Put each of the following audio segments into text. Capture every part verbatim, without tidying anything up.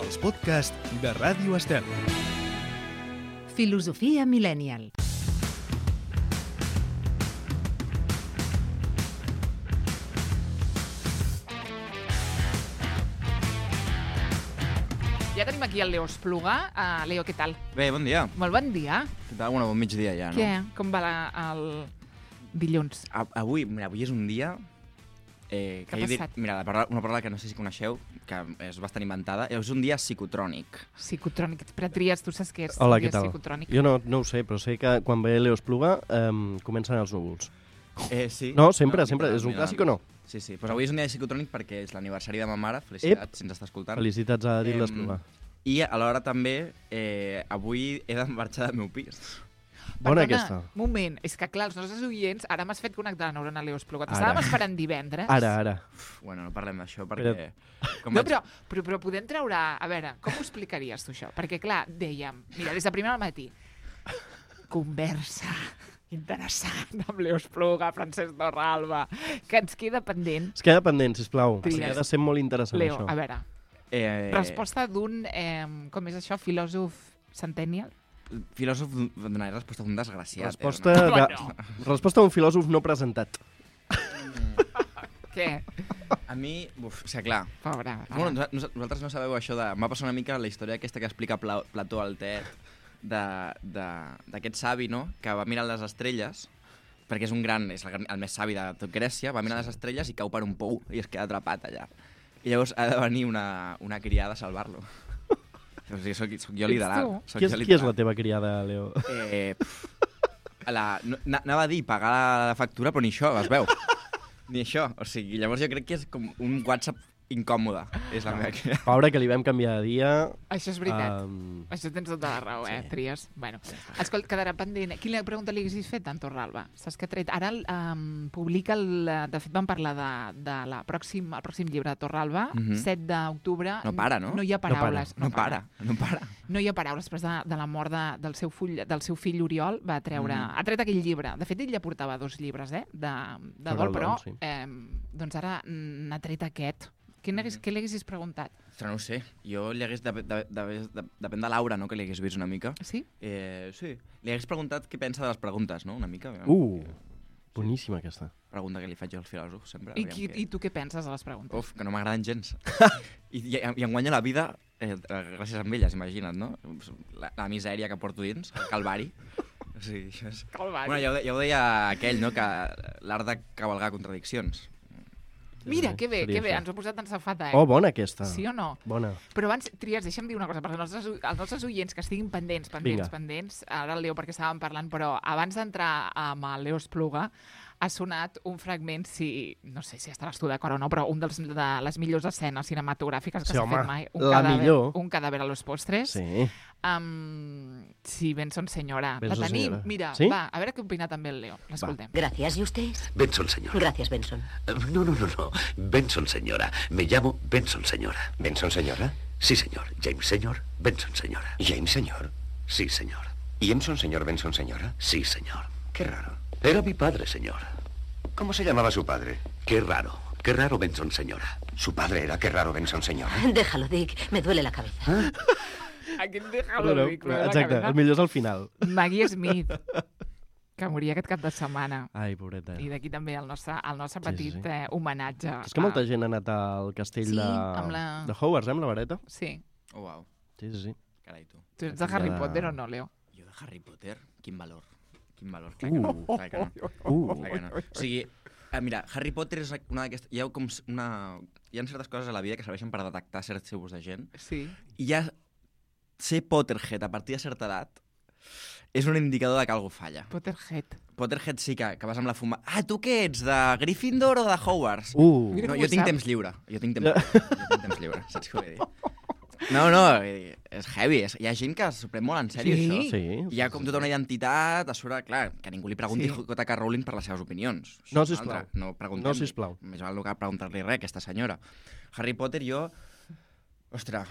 els podcasts de Ràdio Estel. Filosofia Millennial. Ja tenim aquí el Leo Espluga. Uh, Leo, què tal? Bé, bon dia. Molt bon dia. Què tal? Bueno, bon migdia ja, no? Què? Com va la, el dilluns? A, avui, mira, avui és un dia... Eh, Què ha que jo passat? Dir, mira, la paraula, una paraula que no sé si coneixeu, que és bastant inventada, és un dia psicotrònic. Psicotrònic. Per trias, tu saps què és? Hola, un què dia tal? Psicotrònic. Jo no, no ho sé, però sé que quan ve Leo Espluga eh, comencen els núvols. Eh, sí. No, sempre, No, sempre. És un literalment. clàssic o no? Sí, sí. Pues avui és un dia psicotrònic perquè és l'aniversari de ma mare. Felicitats, si ens està escoltant. Felicitats a dir Em, l'Espluga. I alhora també, eh, avui he de marxar del meu pis. Bona Perdona, aquesta. moment, és que clar, els nostres oients, ara m'has fet connectar la neurona Leo Espluga. Ara. T'estàvem esperant divendres. Ara, ara. Uf, bueno, no parlem d'això perquè... Com No, vaig- però, però, però podem treure... A veure, com ho explicaries tu això? Perquè, clar, dèiem, mira, des de primer al matí, conversa interessant amb Leo Espluga, Francesc Torralba, que ens queda pendent. Es queda pendent, sisplau. Tries. Ha de ser molt interessant, Leo, això. a veure, Eh, resposta d'un, eh, com és això, filòsof centennial? Filòsof donaré resposta d'un desgraciat. Resposta, Eh, de... Bueno. resposta d'un filòsof no presentat. Què? A mi, uf, o sigui, clar, Pobre. bueno, nos- nos- vosaltres no sabeu això de... M'ha passat una mica la història aquesta que explica Pla Plató al Tet, d'aquest savi, no?, que va mirar les estrelles, perquè és un gran, és el, gran- el més savi de tot Grècia, va mirar les estrelles i cau per un pou i es queda atrapat allà. I llavors ha de venir una, una criada a salvar-lo. O sigui, soc, soc jo Ets literal. tu? Soc Qui és, jo qui és literal. la teva criada, Leo? Eh, pff, la, no, na- anava a dir pagar la factura, però ni això, es veu. Ni això. O sigui, llavors jo crec que és com un WhatsApp incòmode. És la meva criada. Pobre, que li vam canviar de dia. Això és veritat. Um, Això tens tota la raó, eh, sí. Tries. Bueno, escolta, quedarà pendent. Quina pregunta li haguessis fet a en Torralba? Saps que ha tret? Ara um, publica, el, de fet vam parlar de, de la pròxim, el pròxim llibre de Torralba, Mhm. set d'octubre. No para, no? No hi ha para, paraules. No para, no para. No hi ha paraules. Després de, de la mort de, del, seu full, del seu fill Oriol va treure... Mhm. Ha tret aquell llibre. De fet, ell ja portava dos llibres, eh, de, de Sobre dol, el però dol, sí. eh, doncs ara mm, n'ha tret aquest. Quin hagués, què li haguessis preguntat? Ostres, no ho sé. Jo li hagués... De, de, de, de, depèn de Laura, no?, que li hagués vist una mica. Sí? Eh, sí. Li hagués preguntat què pensa de les preguntes, no?, una mica. uh, boníssima aquesta. Pregunta que li faig jo al filòsof, sempre. I, aviam qui, què- I tu què penses de les preguntes? Uf, que no m'agraden gens. I, i, I em guanya la vida eh, gràcies a elles, imagina't, no? La, la misèria que porto dins, el calvari. O sigui, això és... Calvari. Bueno, ja ho, de- ja ho deia aquell, no?, que l'art de cavalgar contradiccions. Mira, Sí, que bé, seria que bé, això. ens ho ha posat en safata, eh? Oh, bona aquesta. Sí o no? Bona. Però abans, Trias, deixa'm dir una cosa, perquè els nostres, els nostres oients que estiguin pendents, pendents, Vinga. pendents, ara el Leo perquè estàvem parlant, però abans d'entrar amb el Leo Espluga, ha sonat un fragment, si no sé si estaràs tu d'acord o no, però un dels, de les millors escenes cinematogràfiques que Sí, s'ha home, fet mai. Un la cadàver, millor. Un cadàver a los postres. Sí. Um, sí, Benson senyora. Benson la tenim, senyora. mira, Sí? va, a veure què opina també el Leo. L'escoltem. Gracias. ¿Y usted? Benson, señora. Gracias, Benson. Eh, No, no, no, no. Benson, señora. Me llamo Benson, señora. ¿Benson, señora? Sí, señor. James, señor. Benson, señora. James, señor. Sí, señor. ¿Y Emson, señor Benson, señora? Sí, señor. Qué raro. Era mi padre, señor. ¿Cómo se llamaba su padre? Qué raro. Qué raro, Benson, señora. Su padre era qué raro Benson, señora. Déjalo, Dick. Me duele la cabeza. Aquí em deja No, lo no, ric, lo de la exacte, cabeza. el millor és al final. Maggie Smith, que moria aquest cap de setmana. Ai, pobreta. I d'aquí també el nostre, el nostre Sí, sí, petit sí. Eh, homenatge. És que molta gent ha anat al castell Sí, de, amb la- de Hogwarts, eh, amb la vareta. Sí. Oh, uau. Sí, sí, sí. Carai, tu. Tu ets de Ja- Harry Potter o no, Leo? Jo de Harry Potter? Quin valor. Quin valor. Clar que no. Uh. Clar que no. Uh. Clar que no. O sigui, eh, mira, Harry Potter és una d'aquestes... Hi ha com s- una... Hi ha certes coses a la vida que serveixen per detectar certs tipus de gent. Sí. I ja ser Potterhead a partir de certa edat és un indicador de que algú falla. Potterhead. Potterhead sí que, que vas amb la fuma... Ah, tu què ets? De Gryffindor o de Hogwarts? Uh. Mira No, com jo ho tinc sap. temps lliure. Jo tinc temps lliure. Jo tinc temps lliure, saps què vull dir? No, no, vull dir, és heavy. És, hi ha gent que s'ho pren molt en sèrio, Sí? això. Sí. Hi ha com tota una identitat, a sobre, clar, que ningú li pregunti Sí. sí. J K. Rowling per les seves opinions. Això No, és una sisplau. altra. No preguntem. No, sisplau. Més val no cal preguntar-li res, aquesta senyora. Harry Potter, jo... Ostres,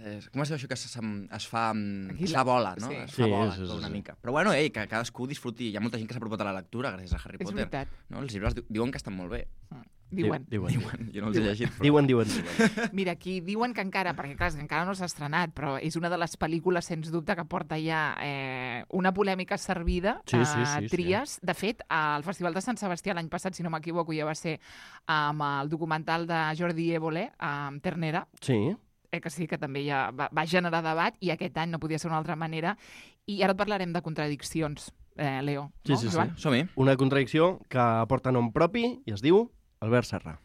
eh, com es diu això que es, es fa... Aquí Es la- fa bola, no? sí. Es fa Sí, bola, sí, sí, una sí. mica. Però bueno, ei, que cadascú disfruti. Hi ha molta gent que s'ha apropat a la lectura gràcies a Harry És Potter. veritat. No? Els llibres di- diuen que estan molt bé. Mm. Diuen. Diuen. Diuen, jo no els he llegit. Però... Diuen, diuen. diuen. Mira, aquí diuen que encara, perquè clar, és que encara no s'ha estrenat, però és una de les pel·lícules, sens dubte, que porta ja eh, una polèmica servida Sí, a sí, sí, Tries. Sí. De fet, al Festival de Sant Sebastià l'any passat, si no m'equivoco, ja va ser amb el documental de Jordi Évole, amb Ternera, Sí. eh, que sí que també ja va, va generar debat, i aquest any no podia ser d'una altra manera. I ara et parlarem de contradiccions, eh, Leo. Sí, no, sí, sí. Joan? Som-hi. Una contradicció que porta nom propi i es diu Albert Serra.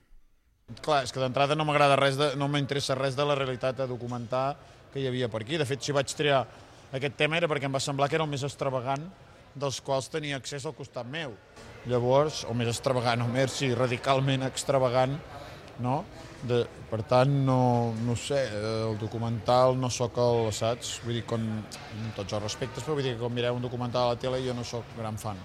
Clar, és que d'entrada no m'agrada res, de, no m'interessa res de la realitat a documentar que hi havia per aquí. De fet, si vaig triar aquest tema era perquè em va semblar que era el més extravagant dels quals tenia accés al costat meu. Llavors, o més extravagant, o més, sí, radicalment extravagant, no? De, per tant, no, no sé, el documental no sóc el, saps? Vull dir, con, amb tots els respectes, però vull dir que quan mireu un documental a la tele jo no sóc gran fan.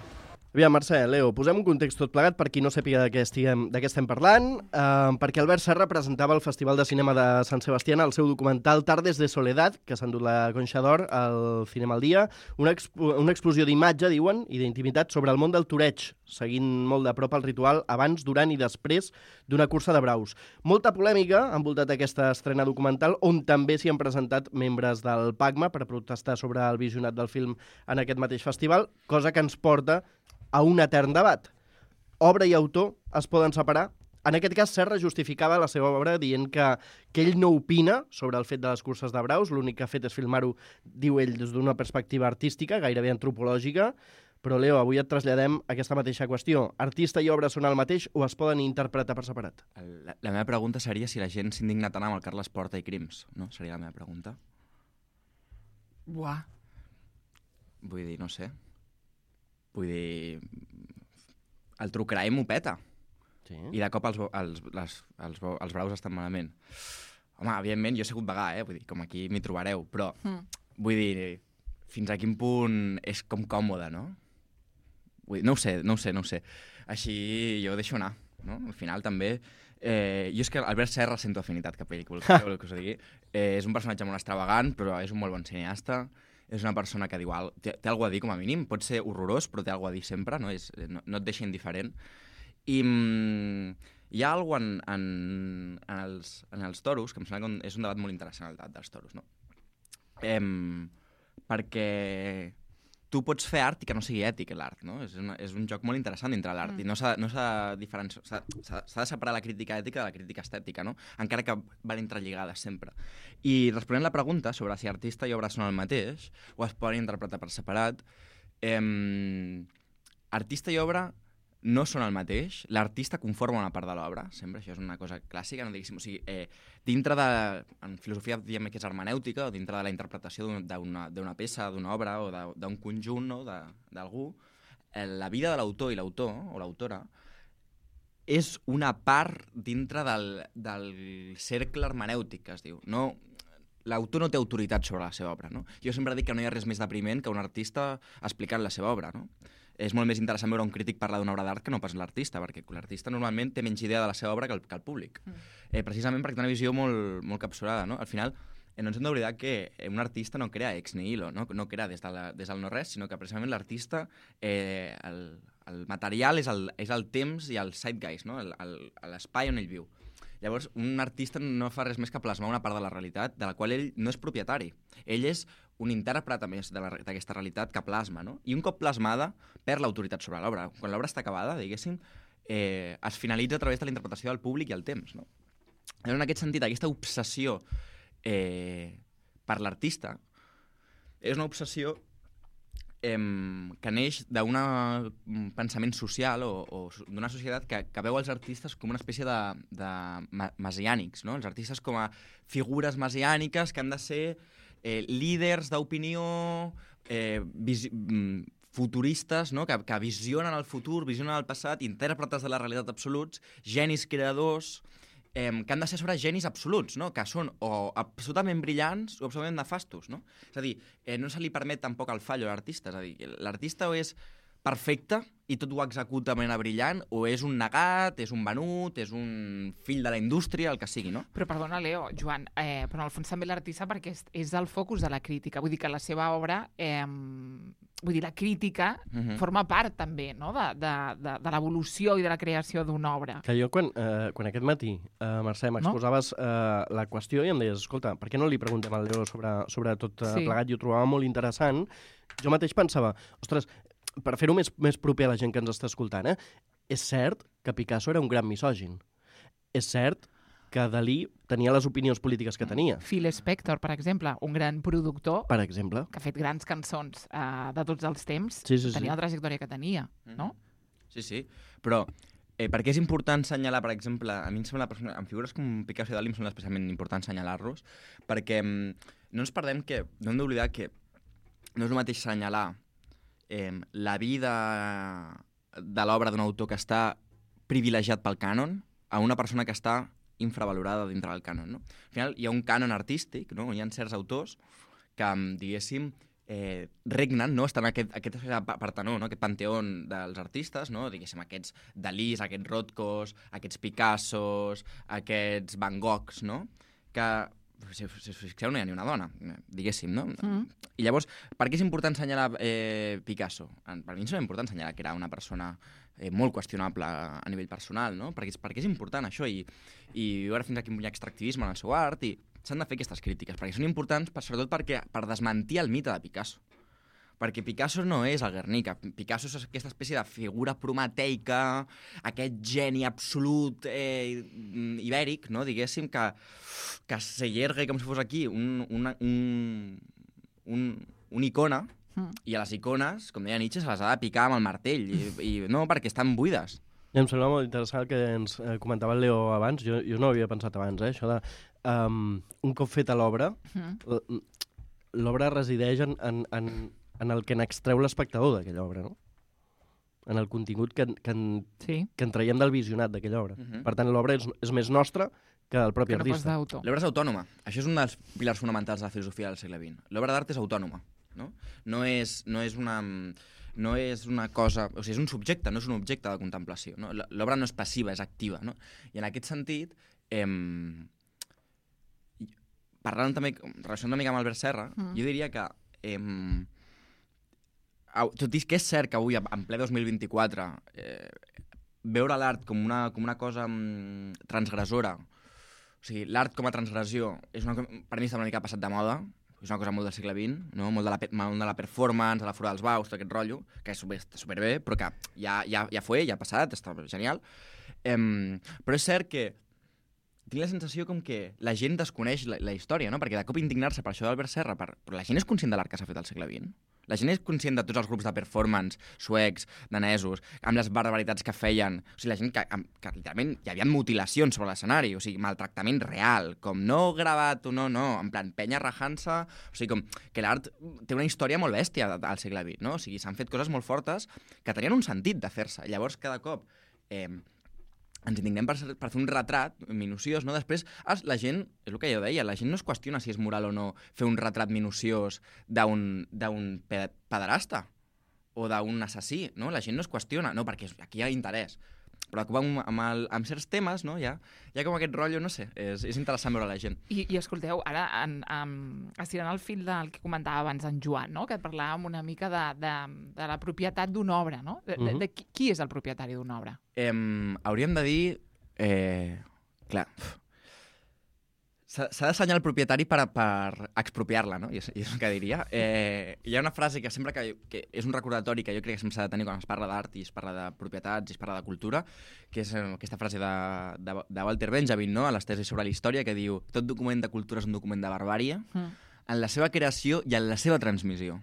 Aviam, Mercè, Leo, posem un context tot plegat per qui no sàpiga de què, estiguem, de què estem parlant, eh, perquè Albert Serra presentava al Festival de Cinema de Sant Sebastián el seu documental Tardes de Soledad, que s'ha endut la Conxa d'Or al Cinema al Dia, una, expo una explosió d'imatge, diuen, i d'intimitat sobre el món del toreig, seguint molt de prop el ritual abans, durant i després d'una cursa de braus. Molta polèmica ha envoltat aquesta estrena documental, on també s'hi han presentat membres del PACMA per protestar sobre el visionat del film en aquest mateix festival, cosa que ens porta a un etern debat. Obra i autor es poden separar? En aquest cas, Serra justificava la seva obra dient que, que ell no opina sobre el fet de les curses de braus, l'únic que ha fet és filmar-ho, diu ell, des d'una perspectiva artística, gairebé antropològica, però, Leo, avui et traslladem aquesta mateixa qüestió. Artista i obra són el mateix o es poden interpretar per separat? La, la meva pregunta seria si la gent s'indigna tant amb el Carles Porta i Crims, no? Seria la meva pregunta. Buah. Vull dir, no sé. Vull dir, el true crime ho peta. Sí. I de cop els, els, les, els, els braus estan malament. Home, evidentment, jo he sigut vegà, eh? Vull dir, com aquí m'hi trobareu, però mm. vull dir, fins a quin punt és com còmode, no? Vull dir, no ho sé, no ho sé, no ho sé. Així jo ho deixo anar, no? Al final també... Eh, jo és que Albert Serra sento afinitat cap a ell, que vol que us digui. Eh, és un personatge molt extravagant, però és un molt bon cineasta. És una persona que diu, té, té alguna a dir com a mínim, pot ser horrorós, però té alguna a dir sempre, no, és, no, no et deixa indiferent. I mm, hi ha alguna en, en, en, els, en els toros, que em sembla que és un debat molt interessant, el debat dels toros, no? Eh, perquè tu pots fer art i que no sigui ètic, l'art, no? És, una, és un joc molt interessant dintre l'art, mm. i no s'ha no de diferenciar, s'ha de separar la crítica ètica de la crítica estètica, no? Encara que van entrelligades sempre. I responent la pregunta sobre si artista i obra són el mateix, o es poden interpretar per separat, eh, artista i obra no són el mateix, l'artista conforma una part de l'obra, sempre, això és una cosa clàssica, no diguéssim, o sigui, eh, dintre de, en filosofia diem que és hermenèutica, o dintre de la interpretació d'una peça, d'una obra, o d'un conjunt, no?, d'algú, eh, la vida de l'autor i l'autor, o l'autora, és una part dintre del, del cercle hermenèutic, que es diu. No, l'autor no té autoritat sobre la seva obra, no? Jo sempre dic que no hi ha res més depriment que un artista explicant la seva obra, no? És molt més interessant veure un crític parlar d'una obra d'art que no pas l'artista, perquè l'artista normalment té menys idea de la seva obra que el, que el públic. Mm. Eh, precisament perquè té una visió molt, molt capsurada, no? Al final, eh, no ens hem d'oblidar que un artista no crea ex nihilo, no, no crea des, de la, des del no-res, sinó que precisament l'artista, eh, el, el material és el, és el temps i el zeitgeist, no? L'espai on ell viu. Llavors, un artista no fa res més que plasmar una part de la realitat de la qual ell no és propietari. Ell és un intèrpret, a més, d'aquesta realitat que plasma, no? I un cop plasmada, perd l'autoritat sobre l'obra. Quan l'obra està acabada, diguéssim, eh, es finalitza a través de la interpretació del públic i el temps, no? En aquest sentit, aquesta obsessió eh, per l'artista és una obsessió eh, que neix d'un pensament social o, o d'una societat que, que veu els artistes com una espècie de, de messiànics, no? Els artistes com a figures messiàniques que han de ser eh, líders d'opinió, eh, futuristes, no? que, que visionen el futur, visionen el passat, intèrpretes de la realitat absoluts, genis creadors, eh, que han de ser sobre genis absoluts, no? Que són o absolutament brillants o absolutament nefastos, no? És a dir, eh, no se li permet tampoc el fallo a l'artista, és a dir, l'artista o és perfecte i tot ho executa de manera brillant, o és un negat, és un venut, és un fill de la indústria, el que sigui, no? Però perdona, Leo, Joan, eh, però en el fons també l'artista perquè és, és el focus de la crítica. Vull dir que la seva obra eh, vull dir, la crítica Mhm. forma part també, no?, de, de, de, de l'evolució i de la creació d'una obra. Que jo, quan, eh, quan aquest matí, eh, Mercè, m'exposaves eh, la qüestió i em deies, escolta, per què no li preguntem al Leo sobre, sobre tot eh, Sí. plegat? I ho trobava molt interessant. Jo mateix pensava, ostres, per fer-ho més, més proper a la gent que ens està escoltant, eh, és cert que Picasso era un gran misògin. És cert que Dalí tenia les opinions polítiques que tenia, Phil Spector, per exemple, un gran productor per exemple. que ha fet grans cançons eh, de tots els temps, Sí, sí, sí. tenia la trajectòria que tenia, no? Sí, sí, però eh, per què és important assenyalar, per exemple, a mi em sembla, en figures com Picasso i Dalí em sembla especialment important assenyalar-los, perquè mm, no ens perdem que, no hem d'oblidar que no és el mateix assenyalar eh, la vida de l'obra d'un autor que està privilegiat pel cànon a una persona que està infravalorada dintre del cànon, no? Al final hi ha un cànon artístic, no? Hi ha certs autors que, diguéssim, eh, regnen, no? Estan en aquest, aquest partenó, no? Aquest panteón dels artistes, no? Diguéssim, aquests Dalís, aquests Rothkos, aquests Picassos, aquests Van Goghs, no? Que, si, si us fixeu, no hi ha ni una dona, diguéssim, no? Mm. I llavors, per què és important assenyalar eh, Picasso? Per mi és important assenyalar que era una persona eh, molt qüestionable a nivell personal, no? Perquè, perquè és important això i, i veure fins a quin punt hi ha extractivisme en el seu art i s'han de fer aquestes crítiques, perquè són importants per, sobretot perquè, per desmentir el mite de Picasso. Perquè Picasso no és el Guernica, Picasso és aquesta espècie de figura prometeica, aquest geni absolut eh, ibèric, no? Diguéssim, que, que s'allarga com si fos aquí un, una, un, un, una icona, Mm. i a les icones, com deia Nietzsche, se les ha de picar amb el martell, i, i no, perquè estan buides. I em sembla molt interessant el que ens eh, comentava el Leo abans, jo, jo no ho havia pensat abans, eh, això de... Um, un cop feta l'obra, Mm. l- l'obra resideix en, en, en, en el que n'extreu l'espectador d'aquella obra, no? En el contingut que, en- que, en, Sí, que en traiem del visionat d'aquella obra. Mhm. Per tant, l'obra és, és més nostra que el propi que no pas artista. d'autor. L'obra és autònoma. Això és un dels pilars fonamentals de la filosofia del segle vint. L'obra d'art és autònoma. No? No, és, no, és una, no és una cosa... O sigui, és un subjecte, no és un objecte de contemplació. No? L'obra no és passiva, és activa. No? I en aquest sentit, eh, parlant també, relacionant una mica amb Albert Serra, Mm. jo diria que... Eh, tot i que és cert que avui, en ple dos mil vint-i-quatre, eh, veure l'art com una, com una cosa mm, transgressora, o sigui, l'art com a transgressió, és una, per mi està una mica passat de moda, és una cosa molt del segle vint, no? molt, de la, molt de la performance, de la fora dels baus, tot aquest rotllo, que és super, està superbé, però que ja, ja, ja fue, ja ha passat, està genial. Um, però és cert que tinc la sensació com que la gent desconeix la, la història, no? Perquè de cop indignar-se per això d'Albert Serra, per... però la gent és conscient de l'art que s'ha fet al segle vint. La gent és conscient de tots els grups de performance suecs, danesos, amb les barbaritats que feien. O sigui, la gent que, que literalment hi havia mutilacions sobre l'escenari, o sigui, maltractament real, com no gravat o no, no, en plan penya rajant-se, o sigui, com que l'art té una història molt bèstia al segle vint, no? O sigui, s'han fet coses molt fortes que tenien un sentit de fer-se. Llavors, cada cop... Eh, ens indignem per, per fer un retrat minuciós, no? Després, la gent, és el que jo deia, la gent no es qüestiona si és moral o no fer un retrat minuciós d'un pederasta o d'un assassí, no? La gent no es qüestiona, no, perquè aquí hi ha interès. Però amb, amb, el, amb certs temes, no? Hi ha, hi ha com aquest rotllo, no sé, és, és interessant veure la gent. I, i escolteu, ara, en, en, estirant el fil del que comentava abans en Joan, no? Que parlàvem una mica de, de, de la propietat d'una obra, no? De, de, de qui, qui és el propietari d'una obra? Eh, hauríem de dir... Eh, clar... S'ha d'assenyar el propietari per, per expropiar-la, no? I és, i és el que diria. Eh, hi ha una frase que sempre que, que és un recordatori que jo crec que sempre s'ha de tenir quan es parla d'art i es parla de propietats i es parla de cultura, que és aquesta frase de, de, de Walter Benjamin, no? A les tesis sobre la història, que diu: tot document de cultura és un document de barbàrie, mm. en la seva creació i en la seva transmissió,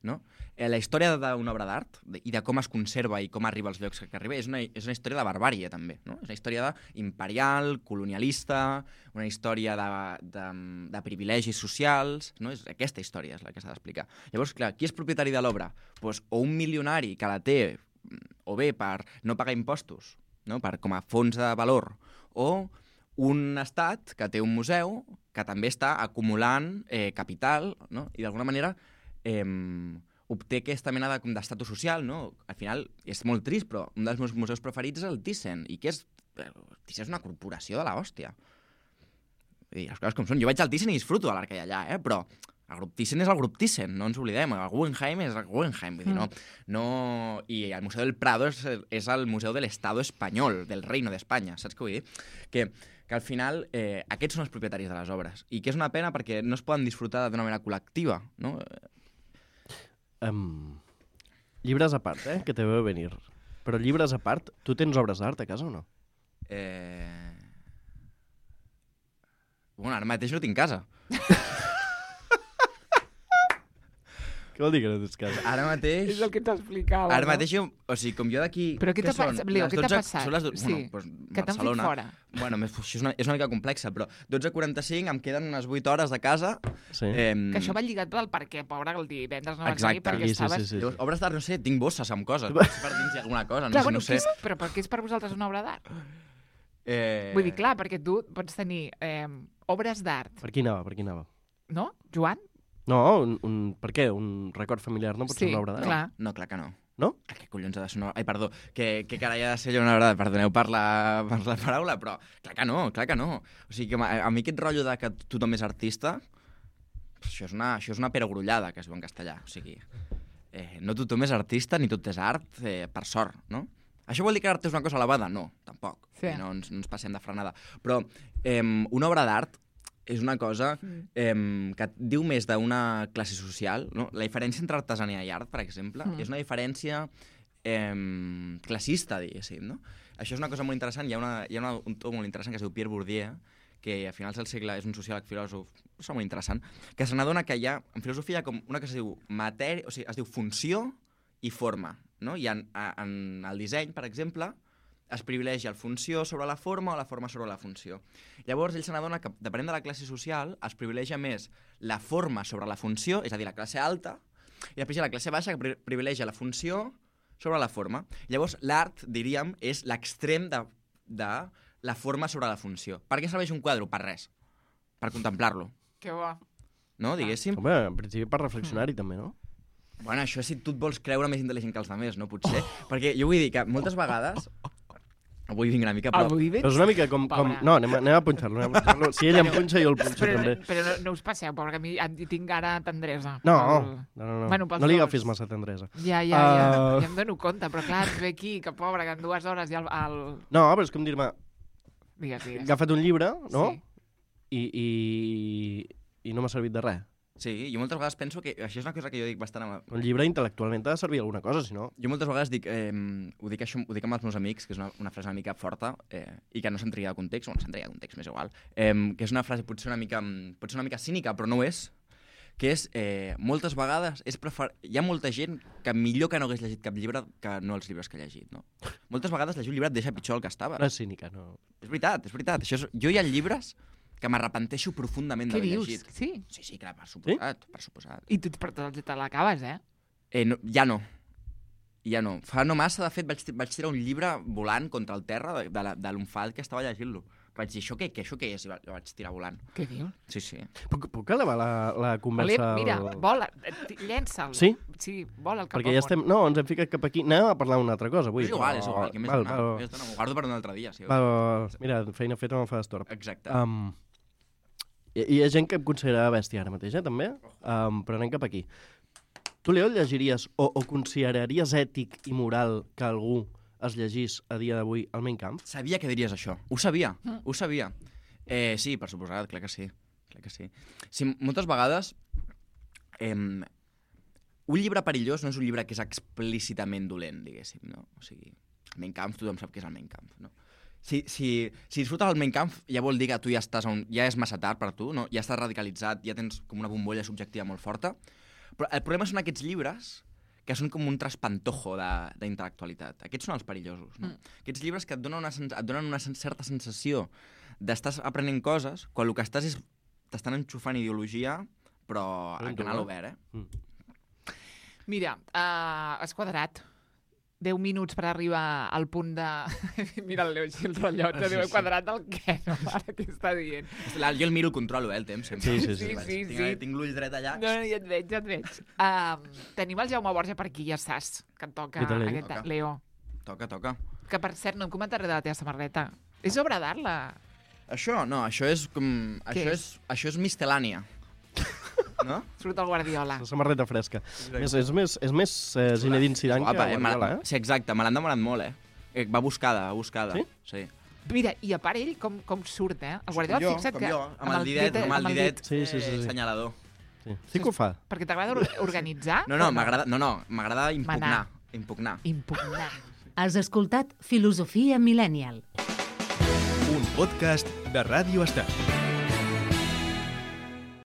no? La història d'una obra d'art i de com es conserva i com arriba als llocs que arriba és una, és una història de barbàrie, també. No? És una història imperial, colonialista, una història de, de, de privilegis socials. No? És, aquesta història és la que s'ha d'explicar. Llavors, clar, qui és propietari de l'obra? Pues, o un milionari que la té, o bé per no pagar impostos, no? Per, com a fons de valor, o un estat que té un museu que també està acumulant eh, capital, no? I d'alguna manera... Eh, obté aquesta mena d'estatus social, no? Al final, és molt trist, però un dels meus museus preferits és el Thyssen, i que és... El Thyssen és una corporació de l'hòstia. I les coses com són. Jo vaig al Thyssen i disfruto de l'art que hi ha allà, eh? Però El grup Thyssen és el grup Thyssen, no ens oblidem. El Guggenheim és el Guggenheim. Vull dir, no, no... I el Museu del Prado és, és el Museu del Estado espanyol, del Reino d'Espanya, saps què vull dir? Que, que al final eh, aquests són els propietaris de les obres. I que és una pena perquè no es poden disfrutar d'una manera col·lectiva, no? Um, llibres a part, eh? Que te veu venir. Però llibres a part, tu tens obres d'art a casa o no? Eh... Bueno, ara mateix no tinc casa. Què vol dir que no tens casa? Ara mateix... És el que t'explicava. Ara no? mateix, jo, o sigui, com jo d'aquí... Però què t'ha són? passat, Leo? Les Què t'ha dotze passat? Són les do... Sí. bueno, doncs, Que t'han fet Barcelona. fora. Bueno, més- això és una, és una mica complexa, però dotze quaranta-cinc, em queden unes vuit hores de casa. Sí. Eh, Que això va lligat pel perquè, pobre, el divendres no vas Exacte. venir perquè Sí, sí, estaves... sí, sí. Llavors, obres d'art, no sé, tinc bosses amb coses. Potser per dins hi ha alguna cosa, no Clar, sé, bueno, no sé. què és, però per què és per vosaltres una obra d'art? Eh... Vull dir, clar, perquè tu pots tenir eh, obres d'art, Per qui anava, per qui anava? no, Joan? No, un, un, per què? Un record familiar no pot Sí, ser una obra d'art? clar. No, clar que no. No? Què collons ha de ser una... Ai, perdó, que, que carai ha de ser allò una obra d'art? Perdoneu per la, per la paraula, però clar que no, clar que no. O sigui, que a, a mi aquest rotllo de que tothom és artista, això és una, això és una perogrullada, que es diu en castellà. O sigui, eh, no tothom és artista ni tot és art, eh, per sort, no? Això vol dir que l'art és una cosa elevada? No, tampoc. Sí. No, ens, no ens passem de frenada. Però eh, una obra d'art és una cosa eh, que et diu més d'una classe social. No? La diferència entre artesania i art, per exemple, mm. és una diferència eh, classista, diguéssim. No? Això és una cosa molt interessant. Hi ha, una, hi ha una, un autor molt interessant que es diu Pierre Bourdieu, que a finals del segle és un sociòleg filòsof, és molt interessant, que se n'adona que hi ha, en filosofia, com una que es diu matèria, o sigui, es diu funció i forma. No? I en, en el disseny, per exemple, es privilegia la funció sobre la forma o la forma sobre la funció. Llavors, ell se n'adona que, depenent de la classe social, es privilegia més la forma sobre la funció, és a dir, la classe alta, i després hi ha la classe baixa que pri privilegia la funció sobre la forma. Llavors, l'art, diríem, és l'extrem de, de la forma sobre la funció. Per què serveix un quadre? Per res. Per contemplar-lo. Que bo. No, diguéssim? Home, en principi per reflexionar-hi també, no? Bueno, això si tu et vols creure més intel·ligent que els altres, no? Potser. Perquè jo vull dir que moltes vegades... Avui vinc una mica, però... Avui vens... Però és una mica com... com... Pobre. No, anem, a- anem a punxar-lo. anem a punxar-lo. Si ell em punxa, jo el punxo Però, també. però no, no us passeu, pobre, que a mi em tinc ara tendresa. No, Pel- no, no, no. Bueno, pels no li dos. agafis massa tendresa. Ja, ja, ja, Uh, ja em dono compte, però clar, et ve aquí, que pobre, que en dues hores ja el... el... No, però és com dir-me, Digues, he digues. agafat un llibre, no? Sí. I, i, i no m'ha servit de res. Sí, jo moltes vegades penso que... Això és una cosa que jo dic bastant... Amb... Un llibre intel·lectualment ha de servir alguna cosa, si no... Jo moltes vegades dic, eh, ho, dic això, ho dic amb els meus amics, que és una, una frase una mica forta eh, i que no se'n tria de context, o no se'n tria de context, m'és igual, eh, que és una frase potser una mica, potser una mica cínica, però no ho és, que és, eh, moltes vegades, és prefer... hi ha molta gent que millor que no hagués llegit cap llibre que no els llibres que ha llegit, no? Moltes vegades llegir un llibre et deixa pitjor el que estava. No és cínica, no. És veritat, és veritat. Això és... Jo hi ha llibres que m'arrepenteixo profundament Què d'haver dius? llegit. Sí? Sí, sí, clar, per suposat, sí? per suposat. I tu per te te l'acabes, eh? Eh, no, ja no. Ja no. Fa no massa, de fet, vaig, vaig tirar un llibre volant contra el terra de, de, la- de l'Unfal que estava llegint-lo. Vaig dir, això què, què, això què és? I va- el vaig tirar volant. Què dius? Sí, sí. Puc, puc elevar la, la conversa... Olé, mira, al- vola, eh, llença'l. Sí? Sí, vola el cap Perquè ja estem... No, ens hem ficat cap aquí. Anem a parlar d'una altra cosa avui. és igual, és però- igual. Què més val, donar? val, Més donar? M'ho guardo per un altre dia, sí. val, val. Mira, feina feta no em fa estorb. Exacte. Um, hi, hi ha gent que em considera bèstia ara mateix, eh, també? Um, però anem cap aquí. Tu, Leo, llegiries o, o consideraries ètic i moral que algú es llegís a dia d'avui el Mein Kampf? Sabia que diries això. Ho sabia, ho sabia. Eh, sí, per suposat, clar que sí. Clar que sí. Sí, moltes vegades... Eh, un llibre perillós no és un llibre que és explícitament dolent, diguéssim, no? O sigui, el Mein Kampf, tothom sap què és el Mein Kampf, no? Si, si, si disfrutes el Mein Kampf, ja vol dir que tu ja estàs a un, ja és massa tard per tu, no? Ja estàs radicalitzat, ja tens com una bombolla subjectiva molt forta. Però el problema són aquests llibres que són com un traspantojo d'intel·lectualitat. Aquests són els perillosos, no? Mm. Aquests llibres que et donen una, sens et donen una sen certa sensació d'estar aprenent coses quan el que estàs és... t'estan enxufant ideologia, però a canal obert, eh? Mm. Mira, uh, has quadrat deu minuts per arribar al punt de... Mira el Leo així el rellotge, Sí, diu, he sí. quadrat el què, no? Ara què està dient? La- Jo el miro, el controlo, eh, el temps, sempre. Sí, sí, sí. Sí, sí, Tinc, sí. tinc l'ull dret allà. No, no, ja et veig, ja et veig. Um, tenim el Jaume Borja per aquí, ja saps, que et toca I tant, ell. aquest... Toca. Leo. Toca, toca. Que, per cert, no em comentaré de la teva samarreta. És obra d'art, la... Això, no, això és com... Què Això és? és, això és mistel·lània. No? Surt el Guardiola. La samarreta fresca. Més, és més, és més eh, Zinedine Zidane Guapa, que eh? Guardiola, eh? Sí, exacte, me l'han demanat molt, eh? eh? Va buscada, va buscada. Sí? Sí. Mira, i a part ell com, com surt, eh? El Guardiola, jo, fixa't com que... jo, amb el didet, amb el didet Sí, sí, sí, eh, sí. senyalador. Sí. Sí que ho fa. Perquè t'agrada or- organitzar? No, no, m'agrada no, no, m'agrada impugnar. Manar. Impugnar. Impugnar. Has escoltat Filosofia Millennial. Un podcast de Ràdio Estel.